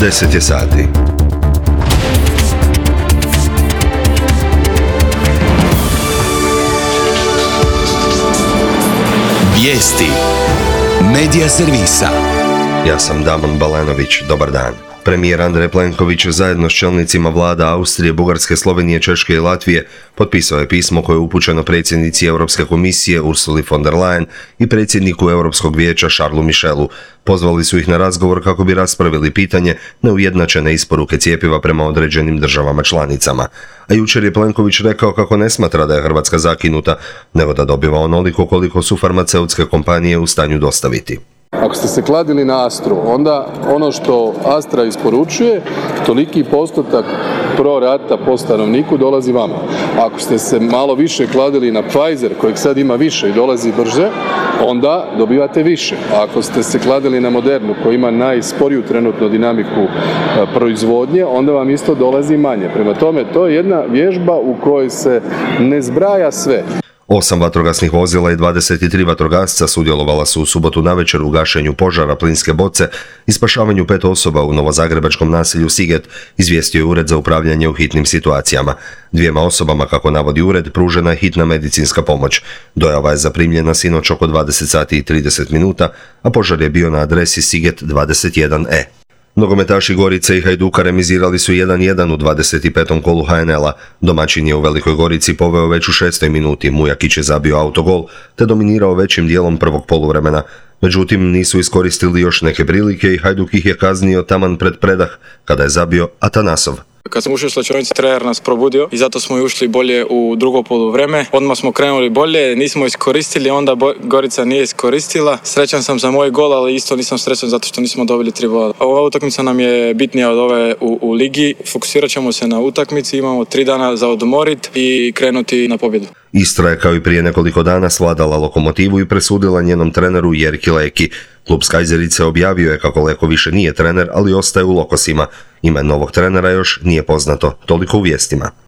10 je sati. Vijesti Medija servisa. Ja sam Damon Balanović, dobar dan. Premijer Andrej Plenković zajedno s čelnicima vlada Austrije, Bugarske, Slovenije, Češke i Latvije potpisao je pismo koje je upućeno predsjednici Europske komisije Ursuli von der Leyen i predsjedniku Europskog vijeća Charlesu Michelu. Pozvali su ih na razgovor kako bi raspravili pitanje neujednačene isporuke cjepiva prema određenim državama članicama. A jučer je Plenković rekao kako ne smatra da je Hrvatska zakinuta, nego da dobiva onoliko koliko su farmaceutske kompanije u stanju dostaviti. Ako ste se kladili na Astru, onda ono što Astra isporučuje, toliki postotak pro rata po stanovniku dolazi vama. Ako ste se malo više kladili na Pfizer, kojeg sad ima više i dolazi brže, onda dobivate više. A ako ste se kladili na Modernu, koji ima najsporiju trenutno dinamiku proizvodnje, onda vam isto dolazi manje. Prema tome, to je jedna vježba u kojoj se ne zbraja sve. 8 vatrogasnih vozila i 23 vatrogasca sudjelovala su u subotu navečer u gašenju požara plinske boce i spašavanju 5 osoba u novozagrebačkom naselju Siget, izvijestio je Ured za upravljanje u hitnim situacijama. 2 osobama, kako navodi ured, pružena je hitna medicinska pomoć. Dojava je zaprimljena sinoć oko 20 sati i 30 minuta, a požar je bio na adresi Siget 21E. Nogometaši Gorice i Hajduka remizirali su 1:1 u 25. kolu HNL-a. Domaćin je u Velikoj Gorici poveo već u 6. minuti, Mujakić je zabio autogol te dominirao većim dijelom prvog poluvremena. Međutim, nisu iskoristili još neke prilike i Hajduk ih je kaznio taman pred predah kada je zabio Atanasov. Kad smo ušli u slačionici, trener nas probudio i zato smo i ušli bolje u drugo poluvreme. Odmah smo krenuli bolje, nismo iskoristili, onda Gorica nije iskoristila. Srećan sam za moj gol, ali isto nisam srećan zato što nismo dobili 3 boda. Ova utakmica nam je bitnija od ove u ligi. Fokusirat ćemo se na utakmici, imamo 3 dana za odmorit i krenuti na pobjedu. Istra je kao i prije nekoliko dana svladala Lokomotivu i presudila njenom treneru Jerki Leki. Klub Skajzerice objavio je kako Leko više nije trener, ali ostaje u Lokosima. Ime novog trenera još nije poznato. Toliko u vijestima.